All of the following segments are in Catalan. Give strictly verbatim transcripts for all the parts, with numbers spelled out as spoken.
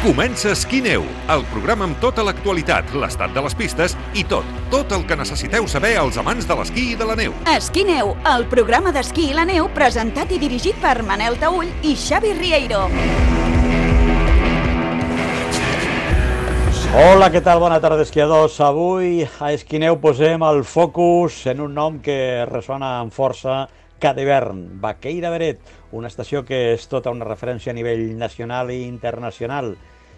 Comença Esquí-Neu, el programa amb tota l'actualitat, l'estat de les pistes i tot, tot el que necessiteu saber els amants de l'esquí i de la neu. Esquí-Neu, el programa d'esquí i la neu presentat i dirigit per Manel Taüll i Xavi Rieiro. Hola, què tal? Bona tarda, esquiadors. Avui a Esquí-Neu posem el focus en un nom que ressona amb força cada hivern, Baqueira Beret, una estació que és tota una referència a nivell nacional i internacional,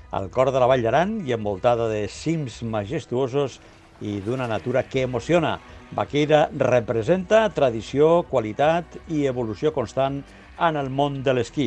al cor de la Vall d'Aran i envoltada de cims majestuosos i d'una natura que emociona. Baqueira representa tradició, qualitat i evolució constant en el món de l'esquí.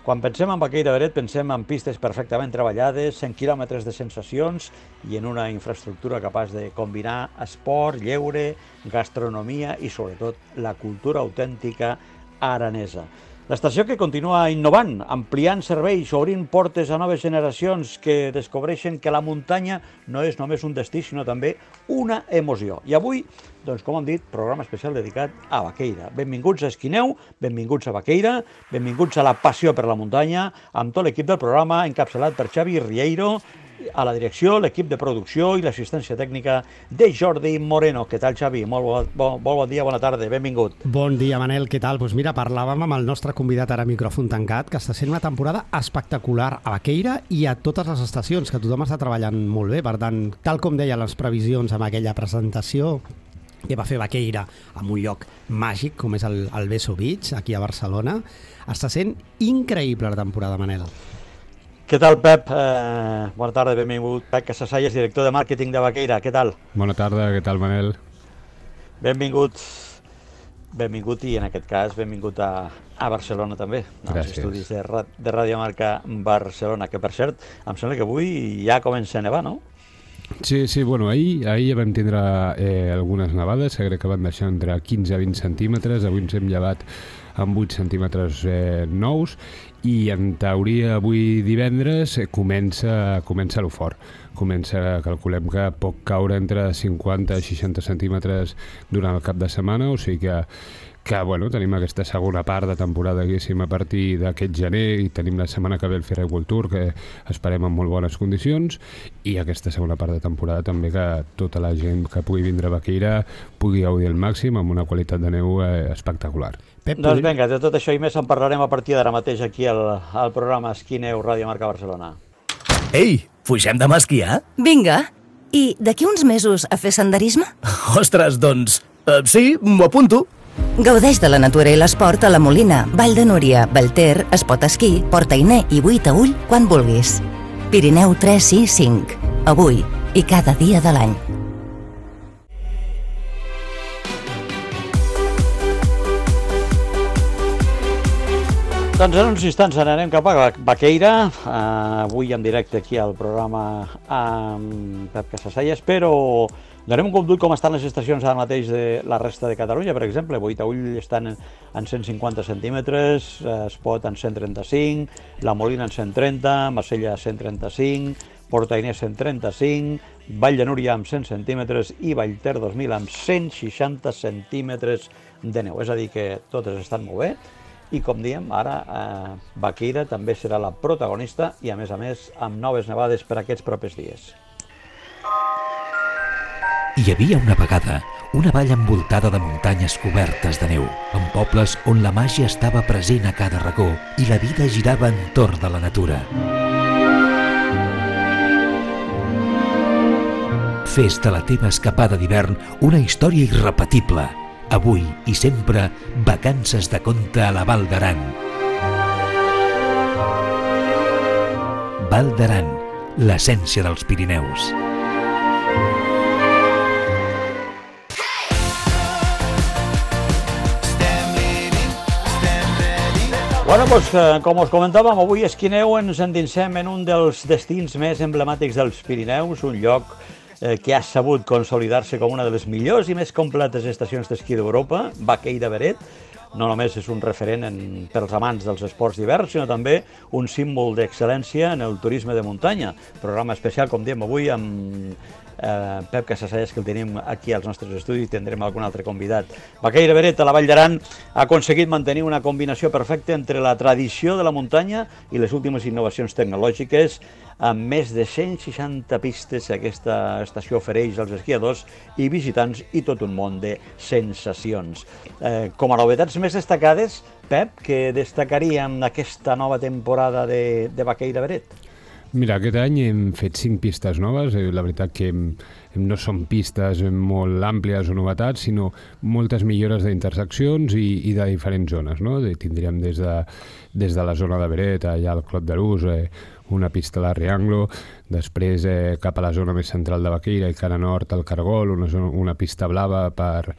Quan pensem en Baqueira Beret pensem en pistes perfectament treballades, cent quilòmetres de sensacions i en una infraestructura capaç de combinar esport, lleure, gastronomia i sobretot la cultura autèntica aranesa. L'estació que continua innovant, ampliant serveis, obrint portes a noves generacions que descobreixen que la muntanya no és només un destí, sinó també una emoció. I avui, doncs, com hem dit, programa especial dedicat a Baqueira. Benvinguts a Esquí-Neu, benvinguts a Baqueira, benvinguts a la passió per la muntanya, amb tot l'equip del programa, encapçalat per Xavi Rieiro, a la direcció, l'equip de producció i l'assistència tècnica de Jordi Moreno. Què tal, Xavi? Molt bon, bon, bon dia, bona tarda, benvingut. Bon dia, Manel, què tal? Doncs mira, parlàvem amb el nostre convidat ara a micròfon tancat, que està sent una temporada espectacular a Baqueira i a totes les estacions, que tothom està treballant molt bé. Per tant, tal com deien les previsions amb aquella presentació que va fer Baqueira en un lloc màgic, com és el, el Beso Beach, aquí a Barcelona, està sent increïble la temporada, Manel. Què tal, Pep? Eh, bona tarda, benvingut. Pep Casasayas, director de màrqueting de Baqueira. Què tal? Bona tarda, què tal, Manel? Benvingut. Benvingut i, en aquest cas, benvingut a, a Barcelona, també. Gràcies. Als estudis de, de Ràdio Marca Barcelona, que, per cert, em sembla que avui ja comença a nevar, no? Sí, sí, bueno, ahir, ahir ja vam tindre eh, algunes nevades, crec que van deixar entre quinze a vint centímetres, avui ens hem llevat amb vuit centímetres eh, nous, i en teoria avui divendres eh, comença, comença lo fort. Comença, calculem que pot caure entre cinquanta i seixanta centímetres durant el cap de setmana, o sigui que, que bueno, tenim aquesta segona part de temporada, diguéssim, a partir d'aquest gener, i tenim la setmana que ve el Ferrer World Tour, que esperem en molt bones condicions, i aquesta segona part de temporada també que tota la gent que pugui vindre a Baqueira pugui gaudir al màxim amb una qualitat de neu eh, espectacular. Pep, doncs vinga, de tot això i més en parlarem a partir d'ara mateix aquí al, al programa Esquí-Neu Ràdio Marca Barcelona. Ei, pugem demà a esquiar? Vinga. I d'aquí uns mesos a fer senderisme? Ostres, doncs, uh, sí, m'ho apunto. Gaudeix de la natura i l'esport a la Molina, Vall de Núria, Vallter, Espot Esquí, Portainer i Buitaüll quan vulguis. Pirineu tres sis cinc. Avui i cada dia de l'any. Doncs en uns instants anarem cap a Baqueira, uh, avui en directe aquí al programa amb Pep Casasayas, però donem un cop d'ull com estan les estacions ara mateix de la resta de Catalunya. Per exemple, Buitaüll estan en cent cinquanta centímetres, Espot en cent trenta-cinc, La Molina en cent trenta, Marsella cent trenta-cinc, Portainer cent trenta-cinc, Vall de Núria amb cent centímetres i Vallter dos mil amb cent seixanta centímetres de neu. És a dir, que totes estan molt bé. I com diem, ara eh, Baqueira també serà la protagonista i, a més a més, amb noves nevades per aquests propers dies. Hi havia una vegada una vall envoltada de muntanyes cobertes de neu, amb pobles on la màgia estava present a cada racó i la vida girava entorn de la natura. Fes de la teva escapada d'hivern una història irrepetible. Avui i sempre, vacances de conte a la Val d'Aran. Val d'Aran, l'essència dels Pirineus. Bueno, doncs, com us comentàvem, avui a Esquí-Neu ens endinsem en un dels destins més emblemàtics dels Pirineus, un lloc que ha sabut consolidar-se com una de les millors i més completes estacions d'esquí d'Europa, Baqueira Beret. No només és un referent en, pels amants dels esports d'hivern, sinó també un símbol d'excel·lència en el turisme de muntanya. Programa especial, com diem avui, amb eh, Pep Casasayas, que el tenim aquí als nostres estudis, tindrem algun altre convidat. Baqueira Beret, a la Vall d'Aran, ha aconseguit mantenir una combinació perfecta entre la tradició de la muntanya i les últimes innovacions tecnològiques, amb més de cent seixanta pistes que aquesta estació ofereix als esquiadors i visitants i tot un món de sensacions. Eh, com a novetats més destacades, Pep, que destacaríem aquesta nova temporada de, de Baqueira Beret? Mira, aquest any hem fet cinc pistes noves. La veritat que hem, no són pistes molt àmplies o novetats, sinó moltes millores d'interseccions i, i de diferents zones, no? Tindríem des de, des de la zona de Beret, allà al Clot d'Arús, eh, una pista a la Rianglo, després eh, cap a la zona més central de Baqueira i cara nord al Cargol, una, zona, una pista blava per...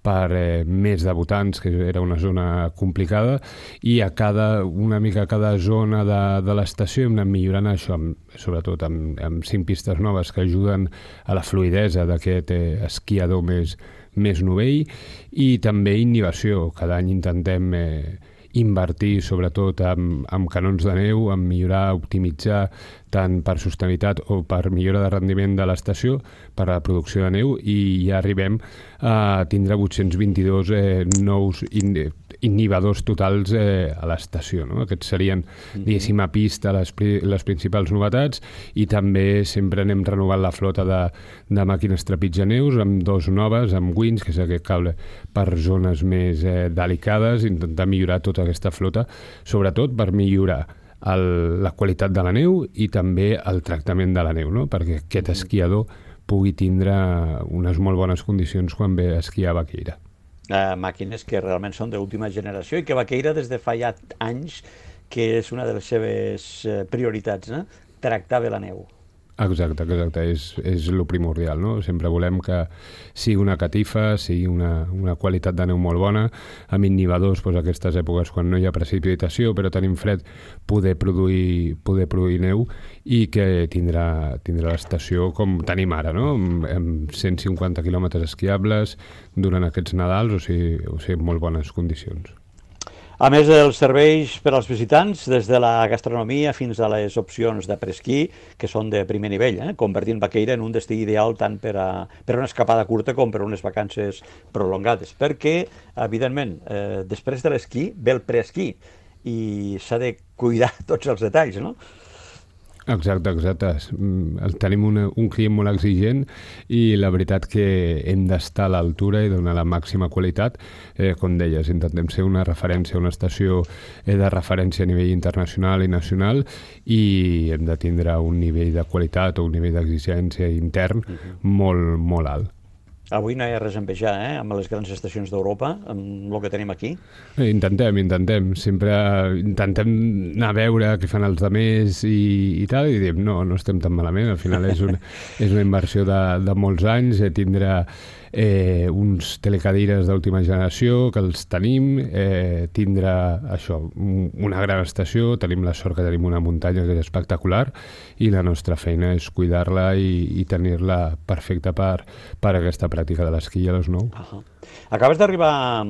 per eh, més debutants, que era una zona complicada, i a cada, una mica a cada zona de, de l'estació hem anat millorant això, amb, sobretot amb, amb cinc pistes noves que ajuden a la fluidesa d'aquest eh, esquiador més, més novell, i també innovació. Cada any intentem eh, invertir sobretot amb, amb canons de neu, en millorar, optimitzar tant per sostenibilitat o per millora de rendiment de l'estació, per a la producció de neu, i ja arribem a tindre vuit-cents vint-i-dos eh, nous in, inhibidors totals eh, a l'estació, no? Aquests serien, diguéssim, a pista les, les principals novetats, i també sempre anem renovant la flota de, de màquines trepitjaneus amb dos noves, amb Wins, que és aquest cable per zones més eh, delicades, intentar millorar tota aquesta flota, sobretot per millorar el, la qualitat de la neu i també el tractament de la neu, no? Perquè aquest esquiador pugui tindre unes molt bones condicions quan ve a esquiar a Baqueira. Uh, màquines que realment són d'última generació i que Baqueira des de fa ja anys que és una de les seves prioritats, no? Tractar bé la neu. Exacte, exacte, és, és el primordial, no? Sempre volem que sigui una catifa, sigui una, una qualitat de neu molt bona, amb inhibidors, doncs, aquestes èpoques quan no hi ha precipitació, però tenim fred, poder produir, poder produir neu, i que tindrà, tindrà l'estació com tenim ara, no? Amb, amb cent cinquanta quilòmetres esquiables durant aquests Nadals, o sigui, o sigui, molt bones condicions. A més dels serveis per als visitants, des de la gastronomia fins a les opcions de presquí, que són de primer nivell, eh? Convertint Baqueira en un destí ideal tant per a, per a una escapada curta com per a unes vacances prolongades, perquè, evidentment, eh, després de l'esquí ve el preesquí i s'ha de cuidar tots els detalls, no? Exacte, exacte. Tenim una, un client molt exigent i la veritat que hem d'estar a l'altura i donar la màxima qualitat. Eh, com deies, intentem ser una referència, una estació eh, de referència a nivell internacional i nacional, i hem de tindre un nivell de qualitat o un nivell d'exigència intern uh-huh. molt, molt alt. Avui no hi ha res a envejar, eh? Amb les grans estacions d'Europa, amb el que tenim aquí. Eh, intentem, intentem. Sempre intentem anar a veure què fan els altres i, i tal, i diem, no, no estem tan malament. Al final és una, és una inversió de, de molts anys, eh, tindrà eh, uns telecadires d'última generació que els tenim, eh, tindrà això, una gran estació, tenim la sort que tenim una muntanya que és espectacular, i la nostra feina és cuidar-la i, i tenir-la perfecta per, per aquesta pràctica de l'esquí a les nou. Uh-huh. Acabes d'arribar,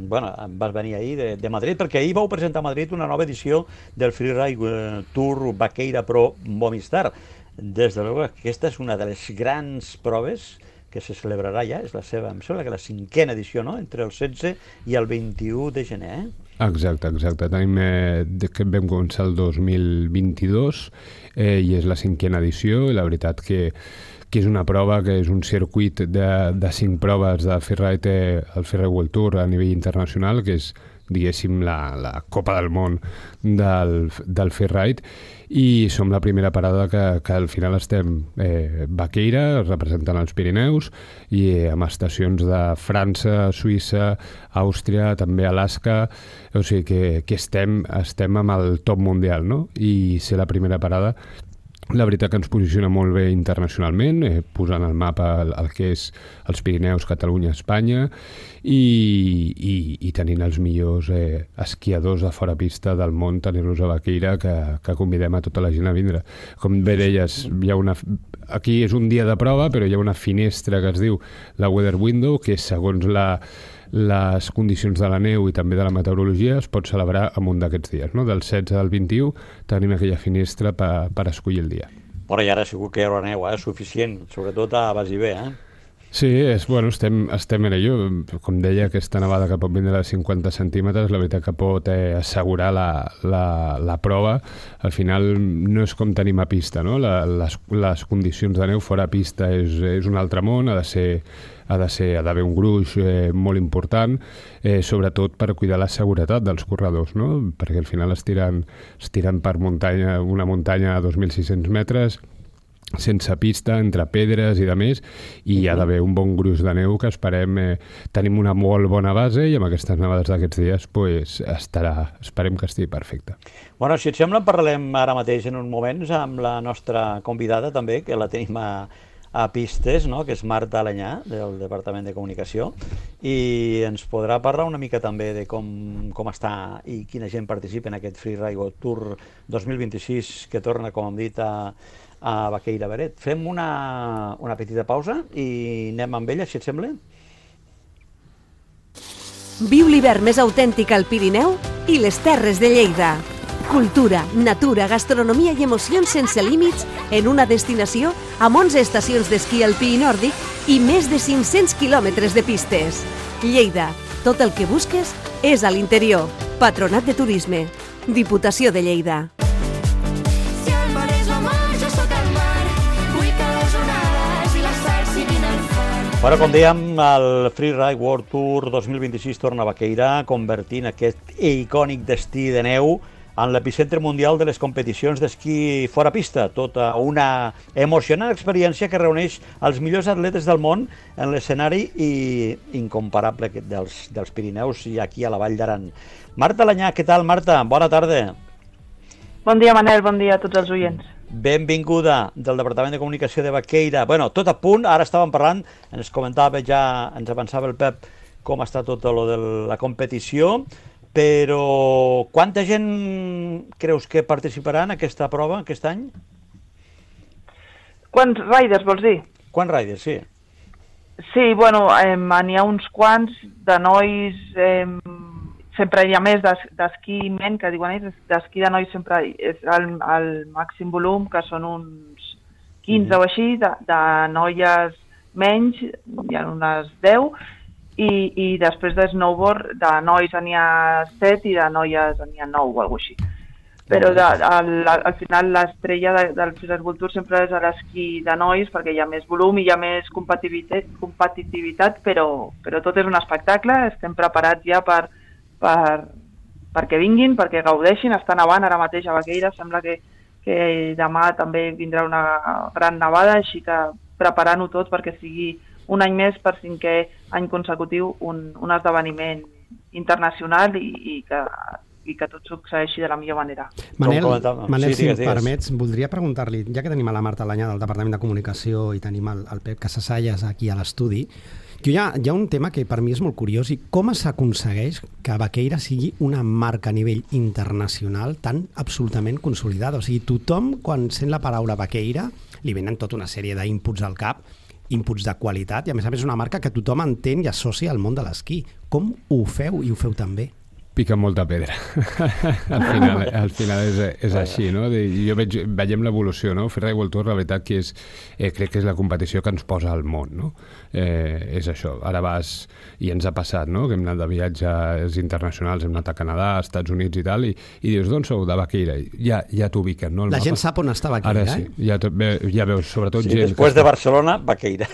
bueno, vas venir ahir de, de Madrid, perquè ahir vau presentar a Madrid una nova edició del Freeride Tour Baqueira Pro Movistar. Des de l'Europa, aquesta és una de les grans proves que se celebrarà ja, és la seva, em sembla que la cinquena edició, no?, entre el setze i el vint-i-u de gener, eh? Exacte, exacte. Tenim, eh, de que vam començar el dos mil vint-i-dos eh, i és la cinquena edició, i la veritat que que és una prova, que és un circuit de, de cinc proves de Freeride, el Freeride World Tour a nivell internacional, que és, diguéssim, la, la Copa del Món del, del Freeride, i som la primera parada que, que al final estem eh, Baqueira, representant els Pirineus, i eh, amb estacions de França, Suïssa, Àustria, també Alaska, o sigui que, que estem, estem amb el top mundial, no? I ser la primera parada, la veritat que ens posiciona molt bé internacionalment, eh, posant al mapa el, el que és els Pirineus, Catalunya, Espanya, i, i, i tenint els millors eh, esquiadors de fora pista del món, tenir-los a Baqueira, que, que convidem a tota la gent a vindre. Com bé deies, hi ha una, aquí és un dia de prova, però hi ha una finestra que es diu la Weather Window, que segons la les condicions de la neu i també de la meteorologia es pot celebrar en un d'aquests dies, no? Del setze al vint-i-u tenim aquella finestra per, per escollir el dia. Però i ara segur que hi haurà neu, eh? Suficient, sobretot a Basibé, eh? Sí, és, bueno, estem, estem en ello. Com deia, aquesta nevada que pot vindre de cinquanta centímetres, la veritat que pot eh, assegurar la, la, la prova. Al final no és com tenim a pista, no? La, les, les condicions de neu fora a pista és, és un altre món, ha de ser ha de ser, ha d'haver un gruix eh, molt important, eh, sobretot per cuidar la seguretat dels corredors, no? Perquè al final es tiren, es tiren per muntanya, una muntanya a dos mil sis-cents metres, sense pista, entre pedres i de més, i hi ha d'haver un bon gruix de neu que esperem, eh, tenim una molt bona base i amb aquestes nevades d'aquests dies pues, estarà, esperem que estigui perfecte. Bueno, si et sembla, parlem ara mateix en uns moments amb la nostra convidada també, que la tenim a, a pistes, no? Que és Marta Alanyà, del Departament de Comunicació, i ens podrà parlar una mica també de com, com està i quina gent participa en aquest Freeride World Tour dos mil vint-i-sis que torna, com hem dit, a a Baqueira Beret. Fem una, una petita pausa i anem amb ella, si et sembla? Viu l'hivern més autèntic al Pirineu i les Terres de Lleida. Cultura, natura, gastronomia i emocions sense límits en una destinació amb onze estacions d'esquí alpí i nòrdic i més de cinc-cents quilòmetres de pistes. Lleida, tot el que busques és a l'interior. Patronat de Turisme. Diputació de Lleida. Bueno, com dèiem, el Freeride World Tour dos mil vint-i-sis torna a Baqueira, convertint aquest icònic destí de neu en l'epicentre mundial de les competicions d'esquí fora pista. Tota una emocionant experiència que reuneix els millors atletes del món en l'escenari i incomparable dels, dels Pirineus i aquí a la Vall d'Aran. Marta Alanyà, què tal, Marta? Bona tarda. Bon dia, Manel, bon dia a tots els oients. Benvinguda del Departament de Comunicació de Baqueira. Bueno, tot a punt, ara estàvem parlant, ens comentava ja, ens avançava el Pep com està tot lo de la competició, però quanta gent creus que participarà en aquesta prova aquest any? Quants riders vols dir? Quants riders, sí. Sí, bueno, eh, n'hi ha uns quants de nois... Eh, sempre hi ha més d'esquí ment, que diuen ells, d'esquí de nois sempre és el, el màxim volum, que són uns quinze mm-hmm. o així, de, de noies menys, hi ha unes deu, i, i després de snowboard, de nois n'hi ha set i de noies n'hi ha nou o alguna cosa així. Però de, al, al final l'estrella de, del Freeride World Tour sempre és l'esquí de nois, perquè hi ha més volum i hi ha més competitivitat, competitivitat però, però tot és un espectacle, estem preparats ja per Per, perquè vinguin, perquè gaudeixin, està nevant ara mateix a Baqueira, sembla que, que demà també vindrà una gran nevada, així que preparant-ho tot perquè sigui un any més per cinquè any consecutiu un, un esdeveniment internacional i, i, que, i que tot succeeixi de la millor manera. Manel, Manel sí, si em permets, voldria preguntar-li, ja que tenim a la Marta Alanyà del Departament de Comunicació i tenim el, el Pep Casasallas aquí a l'estudi, hi ha, hi ha un tema que per mi és molt curiós i com s'aconsegueix que Baqueira sigui una marca a nivell internacional tan absolutament consolidada. O sigui, tothom, quan sent la paraula Baqueira, li venen tota una sèrie d'inputs al cap, inputs de qualitat, i a més a més és una marca que tothom entén i associa al món de l'esquí. Com ho feu i ho feu tan bé? Pica molta pedra. al final, al final és, és així, no? Jo veig, veiem l'evolució, no? Freeride World Tour, la veritat que és, eh, crec que és la competició que ens posa al món, no? Eh, és això. Ara vas, i ens ha passat, no? Que hem anat de viatges internacionals, hem anat a Canadà, als Estats Units i tal, i, i dius, d'on sou? De Baqueira. Ja, ja t'ubiquen, no? La gent sap on està Baqueira, Ara sí, ja, ja veus, sobretot sí, gent... Després de Barcelona, Baqueira.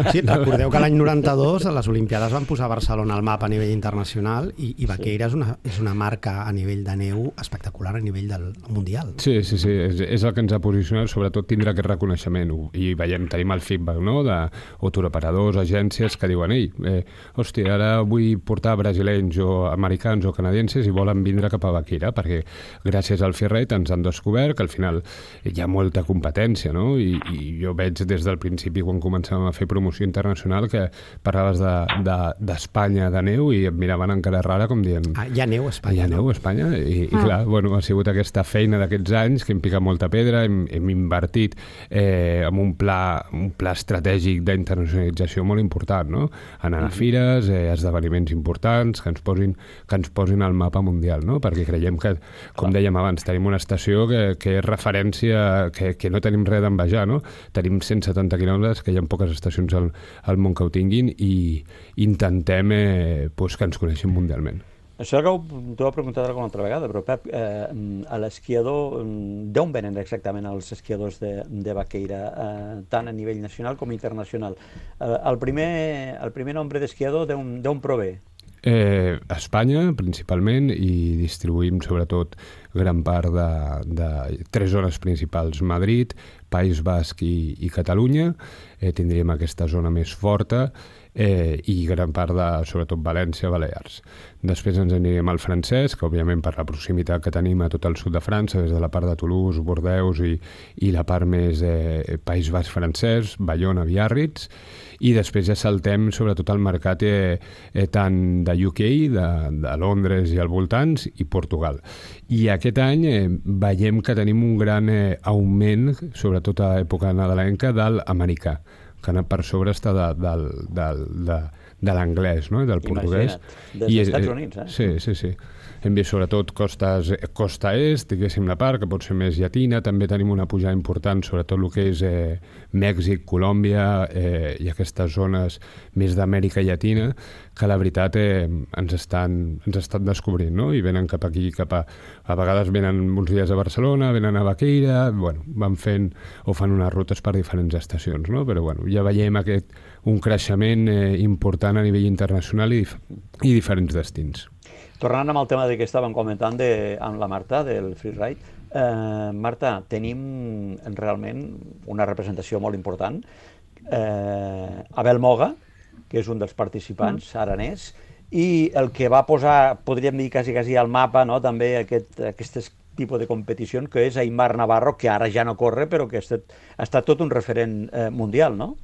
Sí, recordeu que l'any noranta-dos a les Olimpiades van posar Barcelona al mapa a nivell internacional i, i Baqueira sí. és una és una marca a nivell de neu espectacular a nivell del mundial. Sí, sí, sí, és, és el que ens ha posicionat, sobretot tindre aquest reconeixement, i veiem, tenim el feedback, no?, d'autooperadors, agències que diuen, ei, eh, hòstia, ara vull portar brasilenys o americans o canadienses i volen vindre cap a Baqueira, perquè gràcies al Freeride ens han descobert que al final hi ha molta competència, no?, i, i jo veig des del principi, quan començàvem a fer promoció internacional, que parlaves d'Espanya, de, de, d'Espanya, de neu, i em miraven encara rara com dient... Ah, hi Hi ha neu a Espanya. Hi ha neu a Espanya i, i clar, bueno, ha sigut aquesta feina d'aquests anys que hem picat molta pedra, hem, hem invertit eh, en un pla, un pla estratègic d'internacionalització molt important, no? Anar a fires, eh, esdeveniments importants que ens posin, que ens posin al mapa mundial, no? Perquè creiem que, com dèiem abans, tenim una estació que, que és referència, que, que no tenim res d'envejar, no? Tenim cent setanta quilòmetres, que hi ha poques estacions al, al món que ho tinguin, i intentem eh, pues, que ens coneixin mundialment. Això que t'ho he preguntat alguna altra vegada, però Pep, eh, a l'esquiador, d'on venen exactament els esquiadors de, de Baqueira, eh, tant a nivell nacional com internacional? Eh, el, primer, el primer nombre d'esquiador d'on prové? Eh, a Espanya, principalment, i distribuïm sobretot gran part de, de tres zones principals: Madrid, País Basc i, i Catalunya. Eh, tindríem aquesta zona més forta, eh, i gran part de, sobretot, València, Balears. Després ens anirem al francès, que òbviament per la proximitat que tenim a tot el sud de França, des de la part de Toulouse, Bordeus i, i la part més eh, País Basc francès, Bayona, Biarritz, i després ja saltem sobretot al mercat eh, eh, tant de U K, de, de Londres i al voltants, i Portugal. I aquest any eh, veiem que tenim un gran eh, augment, sobretot a època nadalenca, de l'americà, que per sobre està de, del, del, de, de l'anglès, no? Del portuguès. Imagina't, dels Estats Units, eh? Sí, sí, sí. Hem vist sobretot costes, costa est, diguéssim la part, que pot ser més llatina. També tenim una pujada important, sobretot el que és eh, Mèxic, Colòmbia eh, i aquestes zones més d'Amèrica Llatina, que la veritat eh, ens, estan, ens estan descobrint, no? I venen cap aquí, cap a... A vegades venen uns dies a Barcelona, venen a Baqueira, bueno, van fent o fan unes rutes per diferents estacions, no? Però bueno, ja veiem aquest, un creixement eh, important a nivell internacional i, i diferents destins. Tornant amb el tema de que estàvem comentant de, amb la Marta, del freeride, eh, Marta, tenim realment una representació molt important. Eh, Abel Moga, que és un dels participants, mm. aranès, i el que va posar, podríem dir quasi, quasi al mapa, no? També aquest, aquest tipus de competició, que és Aimar Navarro, que ara ja no corre, però que ha estat, ha estat tot un referent eh, mundial, no?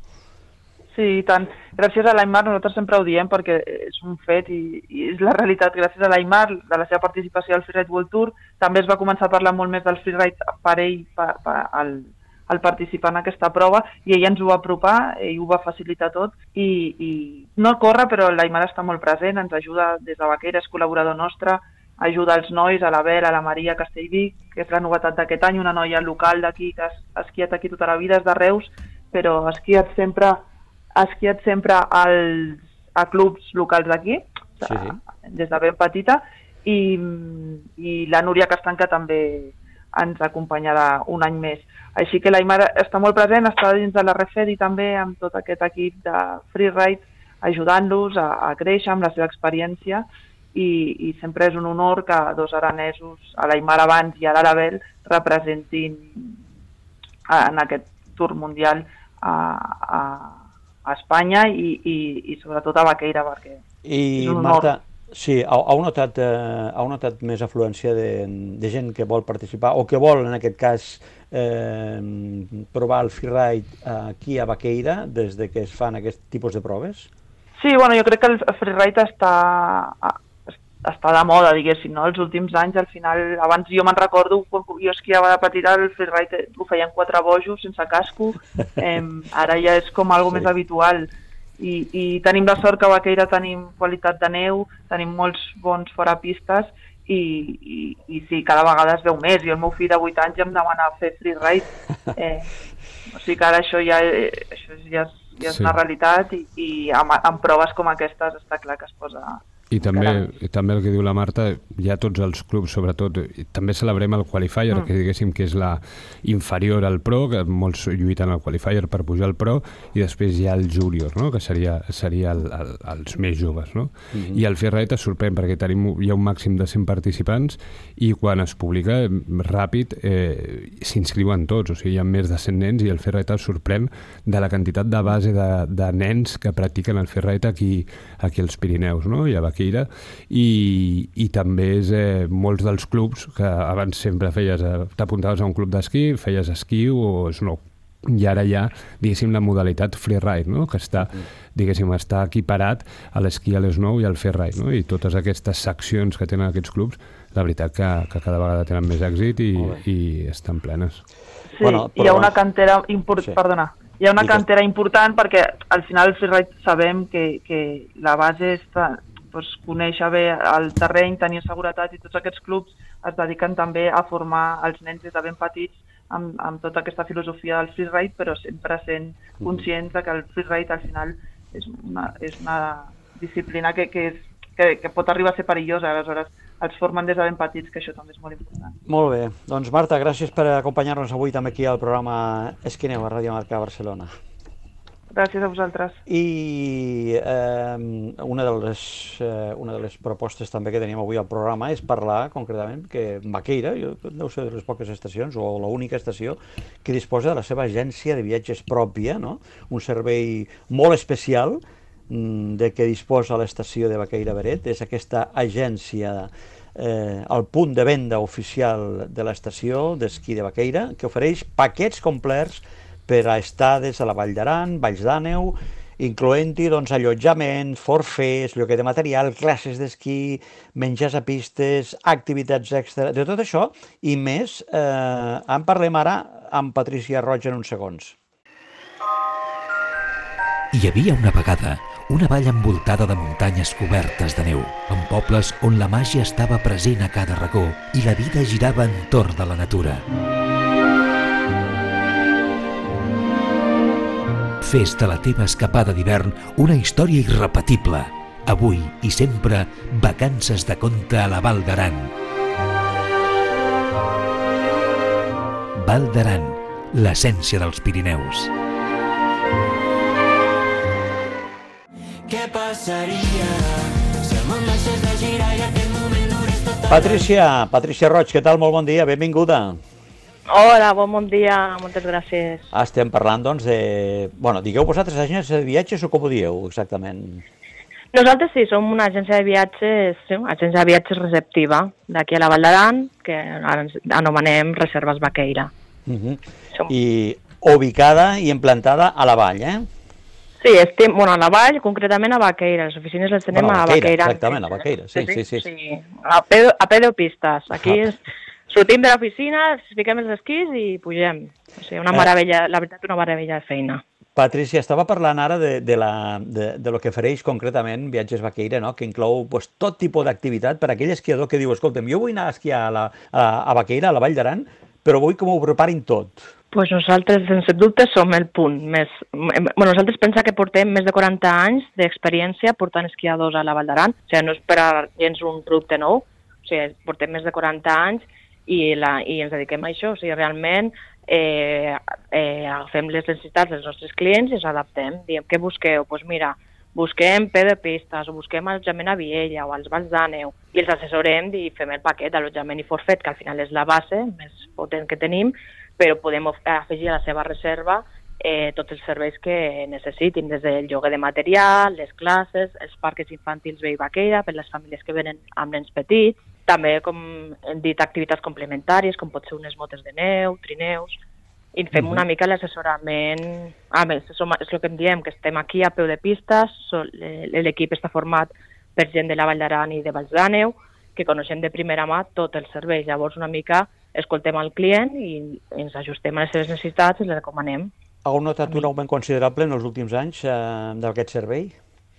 Sí, i tant. Gràcies a l'Aimar, nosaltres sempre ho diem perquè és un fet i, i és la realitat. Gràcies a l'Aimar, de la seva participació al Freeride World Tour, també es va començar a parlar molt més del freeride per ell, per, per, al, al participar en aquesta prova, i ell ens ho va apropar, ell ho va facilitar tot, i, i no corre, però l'Aimar està molt present, ens ajuda des de Baqueira, és col·laborador nostre, ajuda els nois, a la Bel, a la Maria Castellví, que és la novetat d'aquest any, una noia local d'aquí que ha esquiat aquí tota la vida, és de Reus, però ha esquiat sempre... ha esquiat sempre als, a clubs locals d'aquí, sí, sí. des de ben petita, i, i la Núria Castanca també ens acompanyarà un any més. Així que l'Aimar està molt present, està dins de la Refedi també amb tot aquest equip de freeride, ajudant-los a, a créixer amb la seva experiència, i, i sempre és un honor que dos aranesos, a l'Aimar abans i ara l'Abel, representin en aquest tour mundial a, a a Espanya i, i, i sobretot a Baqueira, perquè I, és un honor. Marta, sí, heu notat, eh, heu notat més afluència de, de gent que vol participar o que vol, en aquest cas, eh, provar el freeride aquí a Baqueira des de que es fan aquest tipus de proves? Sí, bueno, jo crec que el freeride està, està de moda, diguéssim, no? Els últims anys, al final, abans jo me'n recordo, quan jo esquiava de petita, el freeride ho feien quatre bojos, sense casco, eh, ara ja és com algo sí. més habitual, I, i tenim la sort que a Baqueira tenim qualitat de neu, tenim molts bons forapistes, i, i, i sí, cada vegada es veu més, i el meu fill de vuit anys ja em demana fer freeride, eh, o sigui que ara això ja, això ja, és, ja és sí. una realitat, i, i amb, amb proves com aquestes està clar que es posa... I també, i també el que diu la Marta, ja tots els clubs, sobretot, també celebrem el qualifier, mm. que diguéssim que és la inferior al pro, que molts lluiten al qualifier per pujar al pro, i després hi ha el júnior, no? Que seria, seria el, el, els més joves, no? Mm-hmm. I el freeride es sorprèn perquè tenim, hi ha un màxim de cent participants i quan es publica ràpid eh, s'inscriuen tots, o sigui, hi ha més de cent nens i el freeride es sorprèn de la quantitat de base de, de nens que practiquen el freeride aquí, aquí als Pirineus, no? I a Baqueira, i, i també és eh, molts dels clubs que abans sempre feies, eh, t'apuntaves a un club d'esquí, feies esquí o snow, i ara hi ha, diguéssim, la modalitat freeride, no? Que està, diguéssim, està equiparat a l'esquí a l'esnou i al freeride, no? I totes aquestes seccions que tenen aquests clubs, la veritat que, que cada vegada tenen més èxit i, i estan plenes. Sí, bueno, però... hi ha una cantera important, sí. perdona, hi ha una cantera important perquè al final el freeride sabem que, que la base està, doncs, conèixer bé el terreny, tenir seguretat, i tots aquests clubs es dediquen també a formar els nens des de ben petits amb, amb tota aquesta filosofia del freeride, però sempre sent conscients de que el freeride al final és una, és una disciplina que, que, és, que, que pot arribar a ser perillosa, aleshores els formen des de ben petits, que això també és molt important. Molt bé. Doncs Marta, gràcies per acompanyar-nos avui també aquí al programa Esquineu a Ràdio Marca Barcelona. Gràcies a vosaltres. I eh, una, de les, eh, una de les propostes també que teníem avui al programa és parlar concretament que Baqueira, jo, deu ser de les poques estacions, o l'única estació, que disposa de la seva agència de viatges pròpia, no? Un servei molt especial de què disposa l'estació de Baqueira Beret. És aquesta agència, eh, el punt de venda oficial de l'estació d'esquí de Baqueira, que ofereix paquets complets per a estades a la Vall d'Aran, Valls d'Àneu, incloent-hi doncs, allotjament, forfers, lloguer de material, classes d'esquí, menjars a pistes, activitats extra, de tot això i més. Eh, en parlem ara amb Patricia Roig en uns segons. Hi havia una vegada una vall envoltada de muntanyes cobertes de neu, amb pobles on la màgia estava present a cada racó i la vida girava entorn de la natura. Fes de la teva escapada d'hivern una història irrepetible. Avui i sempre, vacances de conte a la Val d'Aran. Val d'Aran, l'essència dels Pirineus. Què passaria si el món deixés de girar i aquest moment durés tot... Patricia, Patricia Roig, què tal? Molt bon dia, benvinguda. Hola, bon bon dia, moltes gràcies. Estem parlant, doncs, de... Bueno, digueu vosaltres agència de viatges o com ho dieu, exactament? Nosaltres sí, som una agència de viatges, sí, una agència de viatges receptiva, d'aquí a la Val d'Aran, que ara ens anomenem Reserves Baqueira. Uh-huh. Som... I ubicada i implantada a la Vall, eh? Sí, estem, bueno, a la Vall, concretament a Baqueira. Les oficines les tenem bueno, a Baqueira. Baqueira. Exactament, a Baqueira, sí, sí, sí. sí. sí. A pedopistes. Aquí és... Sortim de l'oficina, fiquem els esquís i pugem. O sigui, una meravella, la veritat, una meravella de feina. Patricia, estava parlant ara de, de, la, de, de lo que ofereix concretament Viatges Baqueira, no? Que inclou pues, tot tipus d'activitat per a aquell esquiador que diu, escolta'm, jo vull anar a esquiar a, la, a, a Baqueira, a la Vall d'Aran, però vull que m'ho preparin tot. Pues nosaltres, sense dubte, som el punt més... Bueno, nosaltres pensem que portem més de quaranta anys d'experiència portant esquiadors a la Val d'Aran. O sigui, no és per a gens un producte nou, o sigui, portem més de quaranta anys i, la, i ens dediquem a això. O sigui, realment eh, eh, agafem les necessitats dels nostres clients i ens adaptem. Diem, què busqueu? Doncs pues mira, busquem P de pistes o busquem allotjament a Viella o als Valls d'Àneu i els assessorem i fem el paquet d'allotjament i forfet, que al final és la base més potent que tenim, però podem afegir a la seva reserva eh, tots els serveis que necessitin, des del lloguer de material, les classes, els parcs infantils Vell Baqueira per les famílies que venen amb nens petits, també, com hem dit, activitats complementàries, com pot ser unes motes de neu, trineus, i fem una mica l'assessorament. A més, és el que em diem, que estem aquí a peu de pistes, l'equip està format per gent de la Vall d'Aran i de Valls d'Àneu, que coneixem de primera mà tot el servei. Llavors, una mica escoltem el client i ens ajustem a les seves necessitats i les recomanem. Heu notat un augment considerable en els últims anys eh, d'aquest servei?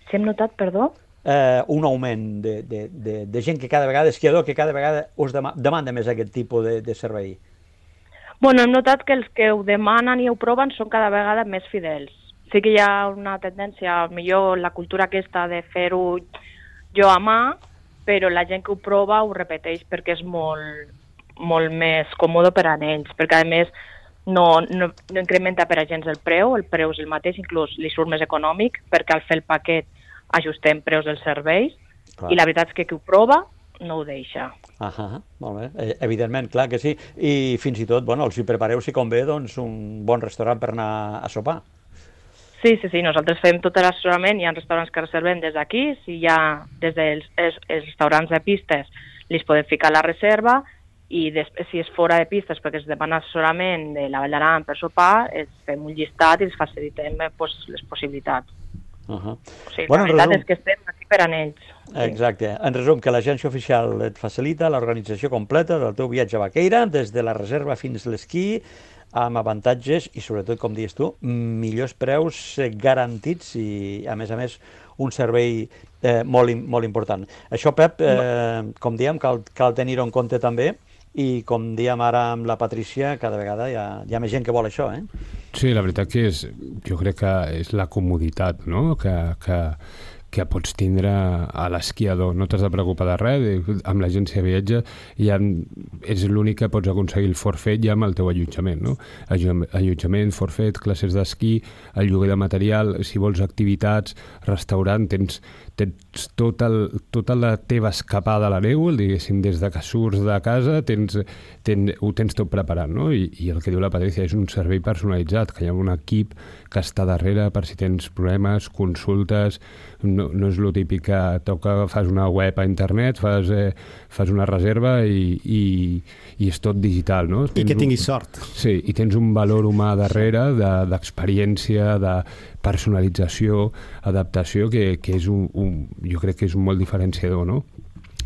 Si hem notat, perdó? Eh, un augment de, de, de, de gent que cada vegada, esquiador, que cada vegada us dema, demanda més aquest tipus de, de servei. Bueno, hem notat que els que ho demanen i ho proven són cada vegada més fidels. Sí que hi ha una tendència, millor la cultura aquesta de fer-ho jo a mà, però la gent que ho prova ho repeteix perquè és molt, molt més còmode per a ells, perquè a més no, no, no incrementa per a gens el preu, el preu és el mateix, inclús li surt més econòmic, perquè al fer el paquet ajustem preus dels serveis. Clar. I la veritat és que qui ho prova no ho deixa. Ah, molt bé. Evidentment, clar que sí. I fins i tot, bueno, els hi prepareu, si convé, doncs, un bon restaurant per anar a sopar. Sí, sí, sí, nosaltres fem tot l'assessorament, hi ha restaurants que reservem des d'aquí, si hi ha des dels els, els restaurants de pistes, li podem ficar la reserva, i després, si és fora de pistes perquè es demana assessorament de la Vall d'Aran per sopar, es fem un llistat i els facilitem pues, les possibilitats. Uh -huh. O sigui, bueno, la veritat resum... és que estem aquí per a ells. Exacte. En resum, que l'agència oficial et facilita l'organització completa del teu viatge a Baqueira, des de la reserva fins a l'esquí, amb avantatges i, sobretot, com dius tu, millors preus garantits i, a més a més, un servei eh, molt, molt important. Això, Pep, eh, com diem, cal, cal tenir-ho en compte també, i com diem ara amb la Patrícia, cada vegada hi ha, hi ha més gent que vol això, eh? Sí, la veritat que és, jo crec que és la comoditat, no?, que, que, que pots tindre a l'esquiador. No t'has de preocupar de res, amb l'agència de viatge ja és l'únic que pots aconseguir el forfait ja amb el teu allotjament, no? Allotjament, forfait, classes d'esquí, el lloguer de material, si vols activitats, restaurant, tens, tens tot el, tota la teva escapada a la neu, diguéssim, des de que surts de casa, tens, tens, ho tens tot preparat, no? I, I el que diu la Patrícia és un servei personalitzat, que hi ha un equip que està darrere per si tens problemes, consultes, no, no és el típic que toca, fas una web a internet, fas, eh, fas una reserva i, i, i és tot digital, no? I Tens que tinguis un, sort. Sí, i tens un valor humà darrere d'experiència, de, de personalització, adaptació, que, que és un, un, jo crec que és un molt diferenciador, no?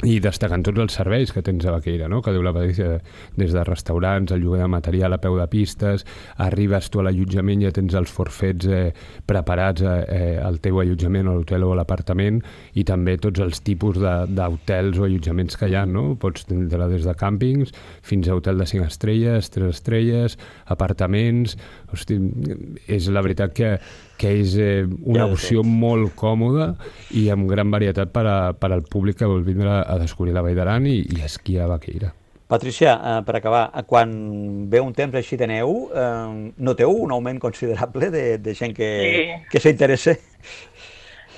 I destacant tots els serveis que tens a Baqueira, no? Que diu la Patrícia, des de restaurants, el lloguer de material a peu de pistes, arribes tu a l'allotjament, ja tens els forfets eh, preparats eh, al teu allotjament, a l'hotel o a l'apartament, i també tots els tipus d'hotels o allotjaments que hi ha, no? Pots tenir des de càmpings fins a hotel de cinc estrelles, tres estrelles, apartaments... Hosti, és la veritat que que és eh, una opció molt còmoda i amb gran varietat per, a, per al públic que vol vindre a descobrir la Vall d'Aran i, i esquiar a Baqueira. Patricia, eh, per acabar, quan ve un temps així de neu, eh, noteu un augment considerable de, de gent que, sí. que s'interessa?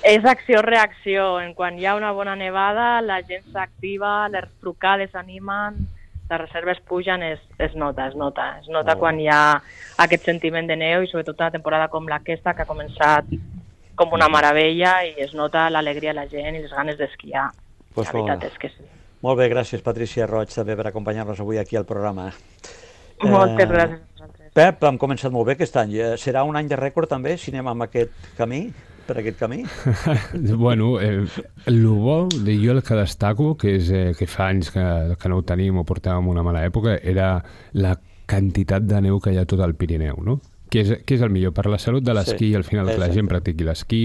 És acció-reacció. En quan hi ha una bona nevada, la gent s'activa, les trucades s'animen, les reserves pugen, es, es nota, es nota. Es nota oh. quan hi ha aquest sentiment de neu i sobretot una temporada com aquesta que ha començat com una meravella i es nota l'alegria de la gent i les ganes d'esquiar. Pues la veritat és que sí. Molt bé, gràcies Patricia Roig també per acompanyar-nos avui aquí al programa. Moltes eh, gràcies a vosaltres. Pep, hem començat molt bé aquest any. Serà un any de rècord també si anem amb aquest camí? per aquest camí? Bueno, eh, el bo, jo el que destaco, que és eh, que fa anys que, que no ho tenim o portàvem una mala època, era la quantitat de neu que hi ha a tot el Pirineu, no? Què és, què és el millor? Per la salut de l'esquí, sí, al final que la gent practiqui l'esquí,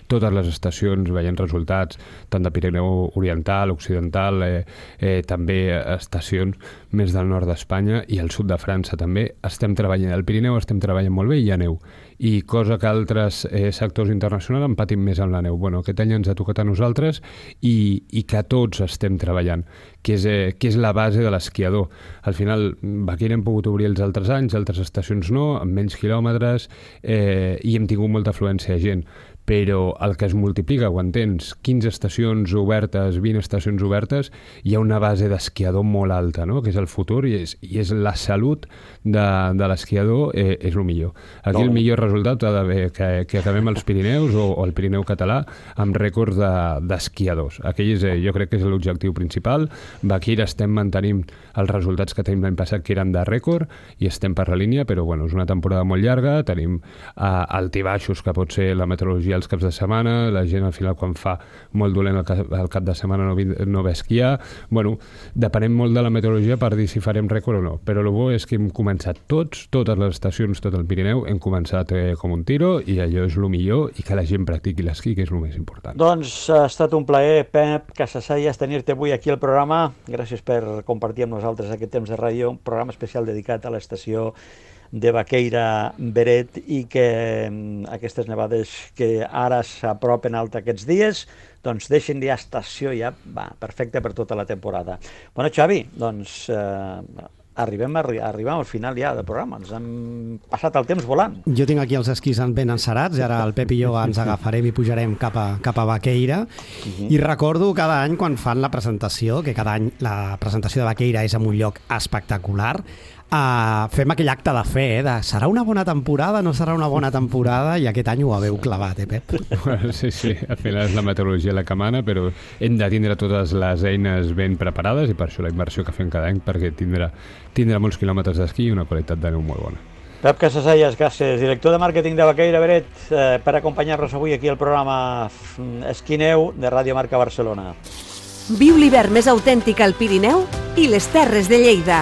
totes les estacions veient resultats, tant de Pirineu Oriental, Occidental, eh, eh, també estacions més del nord d'Espanya i al sud de França també, estem treballant, al Pirineu estem treballant molt bé i hi ha neu. I cosa que altres eh, sectors internacionals han patit més amb la neu. Bueno, aquest any ens ha tocat a nosaltres i, i que tots estem treballant, que és, eh, que és la base de l'esquiador. Al final, Baqueira hem pogut obrir els altres anys, altres estacions no, amb menys quilòmetres, eh, i hem tingut molta afluència de gent. Però el que es multiplica quan tens quinze estacions obertes, vint estacions obertes, hi ha una base d'esquiador molt alta, no? Que és el futur i és, i és la salut de, de l'esquiador, eh, és el millor. Aquí no. El millor resultat ha d'haver que, que acabem els Pirineus o, o el Pirineu català amb rècords d'esquiadors. De, Aquell és, eh, jo crec que és l'objectiu principal. Baqueira estem mantenint els resultats que tenim l'any passat, que eren de rècord, i estem per la línia, però bueno, és una temporada molt llarga, tenim eh, altibaixos que pot ser la meteorologia els caps de setmana, la gent al final quan fa molt dolent el cap, el cap de setmana no, no ve esquiar. Bueno, depenem molt de la meteorologia per dir si farem rècord o no, però el bo és que hem començat tots, totes les estacions, tot el Pirineu, hem començat eh, com un tiro i allò és el millor i que la gent practiqui l'esquí, que és el més important. Doncs ha estat un plaer, Pep Casasayas, tenir-te avui aquí al programa. Gràcies per compartir amb nosaltres aquest temps de ràdio, un programa especial dedicat a l'estació de Baqueira Beret i que aquestes nevades que ara s'apropen alta aquests dies doncs deixen ja estació ja va, perfecta per tota la temporada. Bueno, Xavi, doncs eh, arribem, arribem al final ja del programa. Ens hem passat el temps volant. Jo tinc aquí els esquís ben encerats i ara el Pep i jo ens agafarem i pujarem cap a, cap a Baqueira. Uh-huh. I recordo cada any quan fan la presentació, que cada any la presentació de Baqueira és en un lloc espectacular, Uh, fem aquell acte de fe, eh, de serà una bona temporada, no serà una bona temporada, i aquest any ho haveu clavat, eh, Pep? Sí, sí, al final és la meteorologia la que mana, però hem de tindre totes les eines ben preparades i per això la inversió que fem cada any, perquè tindrà, tindrà molts quilòmetres d'esquí i una qualitat de neu molt bona. Pep Casasallas, gràcies, director de màrqueting de Baqueira Beret, eh, per acompanyar-nos avui aquí al programa Esquí Neu de Ràdio Marca Barcelona. Viu l'hivern més autèntic al Pirineu i les Terres de Lleida.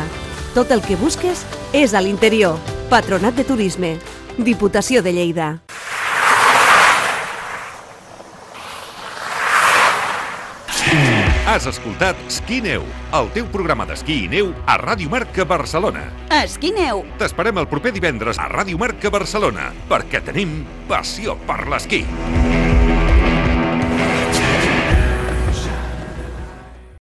Tot el que busques és a l'interior. Patronat de Turisme. Diputació de Lleida. Has escoltat Esquí Neu, el teu programa d'esquí i neu a Ràdio Marca Barcelona. Esquí Neu. T'esperem el proper divendres a Ràdio Marca Barcelona, perquè tenim passió per l'esquí.